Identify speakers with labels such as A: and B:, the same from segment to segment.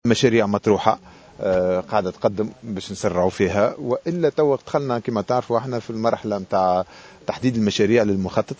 A: مشاريع مطروحة قاعدة تقدم باش نسرعوا فيها، والا توا دخلنا كما تعرفوا احنا في المرحلة نتاع تحديد المشاريع للمخطط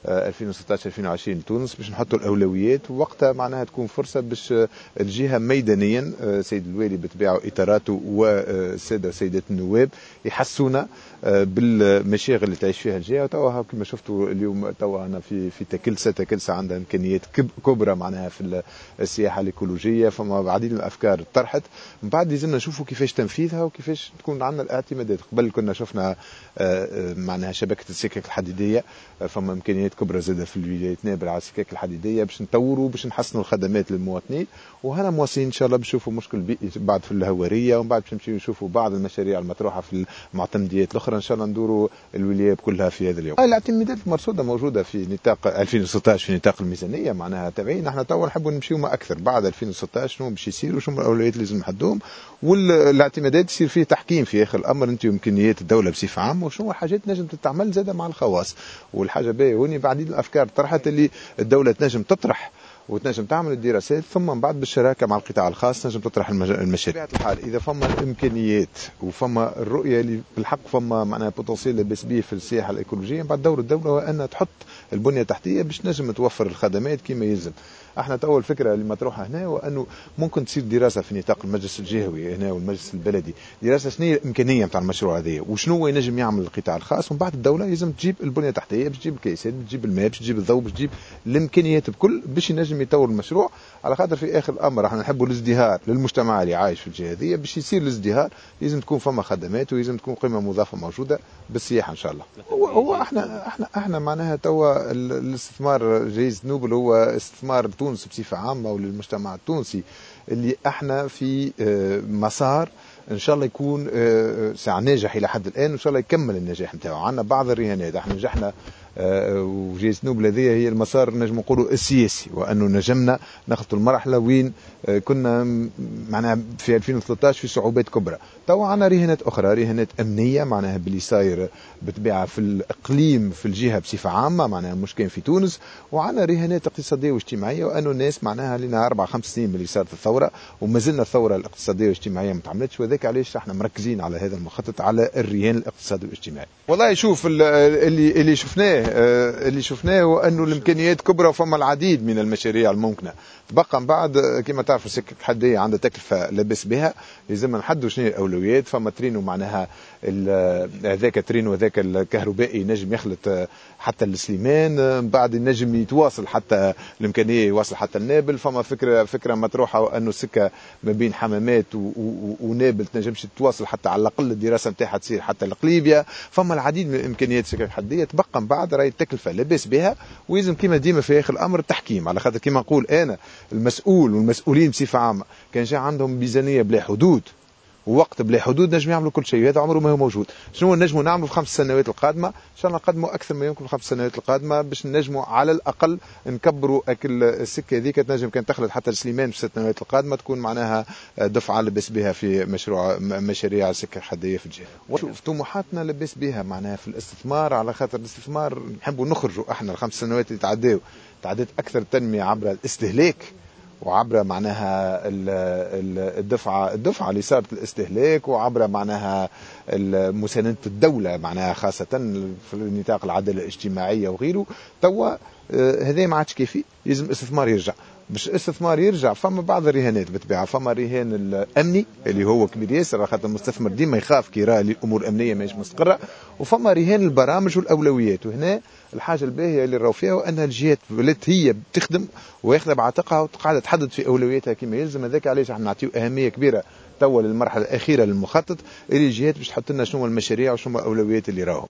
A: 2016 2020 لتونس باش نحطوا الاولويات، ووقتها معناها تكون فرصة باش الجهة ميدانيا سيد الوالي بطبيعة اطاراته والسادة وسيدات النواب يحسونا بالمشاغل اللي تعيش فيها الجهة. وتوا كما شفتوا اليوم توا انا في تكلسه عندها امكانيات كبرى معناها في السياحة الايكولوجيه، فما العديد من الافكار طرحت، من بعد لازمنا نشوفوا كيفاش تنفيذها وكيفاش تكون عندنا الاعتمادات. قبل كنا شفنا معناها شبكة السكك الحديدية، فما امكانيات كبرى زاده في الولايات نابل على السكك الحديدية باش نطوروا باش نحسنوا الخدمات للمواطنين، وهنا مواصلين ان شاء الله باش نشوفوا مشكل بيئي بعد في الهواريه، ومن بعد باش نمشيو نشوفوا بعض المشاريع المطروحة في المعتمديات الاخرى. ان شاء الله ندوروا الولايات كلها في هذا اليوم. الاعتمادات المرصوده موجودة في نطاق 2016 في نطاق الميزانية معناها تبعين، احنا توا نحبوا نمشيو ما اكثر بعد 2016 شنو باش يصير وشنو الاولويات اللي لازم نحدوهم، والاعتمادات يصير فيه تحكيم في اخر الامر انت وامكانيات الدولة بصفة عامة وشنو الحاجات نجم تتعمل زاده مع الخواص. والحاجة باهيه هوني بعديد الافكار طرحت اللي الدولة تنجم تطرح وتنجم تعمل الدراسات، ثم من بعد بالشراكة مع القطاع الخاص تنجم تطرح المشاريع. بطبيعة الحال اذا فما الامكانيات وفما الرؤية اللي بالحق فما معناها potentiel لاباس به في السياحة الايكولوجيه، من بعد دور الدولة هو انها تحط البنية التحتية باش تنجم توفر الخدمات كما يلزم. احنا تو الفكرة اللي مطروحة هنا هو انه ممكن تصير دراسة في نطاق المجلس الجهوي هنا والمجلس البلدي، دراسة شنو هي الامكانية نتاع المشروع هذا وشنو هو ينجم يعمل القطاع الخاص، ومن بعد الدولة لازم تجيب البنية التحتية باش تجيب الكيسات باش تجيب الماء باش تجيب الضوء باش تجيب الامكانيات بكل باش ينجم يطور المشروع. على خاطر في اخر الامر احنا نحبوا الازدهار للمجتمع اللي عايش في الجهة هذه، باش يصير الازدهار لازم تكون فما خدمات ولازم تكون قيمة مضافة موجودة بالسياحة ان شاء الله. هو احنا معناها توا الاستثمار جائزة نوبل هو استثمار تونس بصفة عامة وللمجتمع التونسي اللي احنا في مسار ان شاء الله يكون ساعة ناجح الى حد الان، وان شاء الله يكمل النجاح نتاعو. عندنا بعض الرهانات، احنا نجحنا وجائزة نوبل هذه هي المسار نجم نقولوا السياسي، وانه نجمنا ناخذ المرحلة وين كنا معناها في 2013 في صعوبات كبرى. توا عندنا رهانات اخرى، رهانات امنية معناها باللي صاير بالطبيعة في الاقليم في الجهة بصفة عامة معناها مش كان في تونس، وعندنا رهانات اقتصادية واجتماعية، وانه الناس معناها لنا 4 5 سنين من اللي صارت الثورة وما زلنا الثورة الاقتصادية والاجتماعية ما تعملتش، وذاك علاش احنا مركزين على هذا المخطط على الرهان الاقتصادي والاجتماعي. والله شوف اللي شفناه اللي شفناه هو انه الامكانيات كبرى وفما العديد من المشاريع الممكنة. تبقى من بعد كما تعرفوا السكك الحديدية عندها تكلفة لاباس بها، لازم نحدوا شنو الاولويات. فما ترينو معناها هذاك ترينو هذاك الكهربائي نجم يخلط حتى السليمان، من بعد نجم يتواصل حتى الامكانية يواصل حتى النابل. فما فكرة مطروحة انه السكة ما بين حمامات ونابل تنجمش تواصل حتى على الاقل الدراسة نتاعها تصير حتى لقليبيا. فما العديد من الامكانيات السكك الحديدية. تبقى من بعد راهي التكلفة لاباس بها، ويلزم كما ديما في اخر الامر التحكيم، على خاطر كما نقول انا المسؤول والمسؤولين بصفة عامة كان جا عندهم ميزانية بلا حدود ووقت بلا حدود نجم يعملوا كل شيء، وهذا عمره ما هو موجود. شنو نجموا نعملوا في 5 سنوات القادمة؟ ان شاء الله نقدموا اكثر ما يمكن في 5 سنوات القادمة باش نجموا على الاقل نكبروا اكل السكة هذيك، تنجم كان تخلط حتى سليمان في 6 سنوات القادمة تكون معناها دفعه لاباس بها في مشاريع السكة الحديدية في الجهة. وشوف طموحاتنا لاباس بها معناها في الاستثمار، على خاطر الاستثمار نحبوا نخرجوا احنا ال5 سنوات اللي تعداو تعدات اكثر التنمية عبر الاستهلاك وعبر معناها الدفعة اللي صارت الاستهلاك، وعبر معناها مساندة الدولة معناها خاصة في نطاق العدالة الاجتماعية وغيره. توا هذا ما عادش كافي، لازم الاستثمار يرجع. باش الاستثمار يرجع فما بعض الرهانات بالطبيعة، فما الرهان الامني اللي هو كبير ياسر، خاطر المستثمر ديما يخاف كي يرى الامور الامنية ماهيش مستقره، وفما رهان البرامج والاولويات. وهنا الحاجة الباهيه اللي راهو فيها وان الجهات ولات هي بتخدم واخذه بعاتقها وقاعدة تحدد في اولوياتها كما يلزم. هذاك علاش احنا نعطيو اهمية كبيرة توا للمرحلة الاخيرة للمخطط اللي الجهات باش تحط لنا شنو المشاريع وشنو الاولويات اللي راهم.